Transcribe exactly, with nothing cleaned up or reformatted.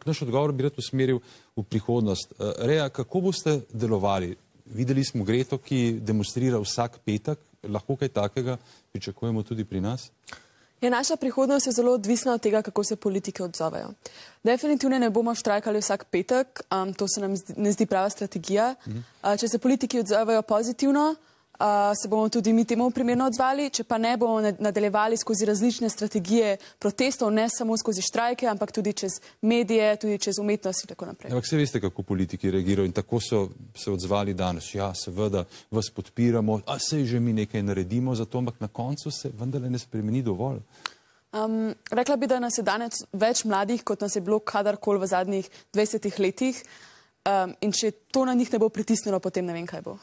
naš odgovor bi rad usmeril v prihodnost. Rea, kako boste delovali? Videli smo Greto, ki demonstrira vsak petek. Lahko kaj takega pričakujemo tudi pri nas? Ja, naša prihodnost je zelo odvisna od tega, kako se politike odzovejo. Definitivno ne bomo štrajkali vsak petek, um, to se nam zdi, ne zdi prava strategija. Uh, če se politiki odzovejo pozitivno, uh, se bomo tudi mi temu primerno odzvali, če pa ne, bomo nadaljevali skozi različne strategije protestov, ne samo skozi štrajke, ampak tudi čez medije, tudi čez umetnost in tako naprej. Ampak se veste, kako politiki reagirajo in tako so se odzvali danes. Ja, seveda vas podpiramo, a sej že mi nekaj naredimo za to, ampak na koncu se vendarle ne spremeni dovolj. Um, rekla bi, da nas je danes več mladih, kot nas je bilo kadarkoli v zadnjih dvajsetih letih. Um, in če to na njih ne bo pritisnilo, potem ne vem, kaj bo.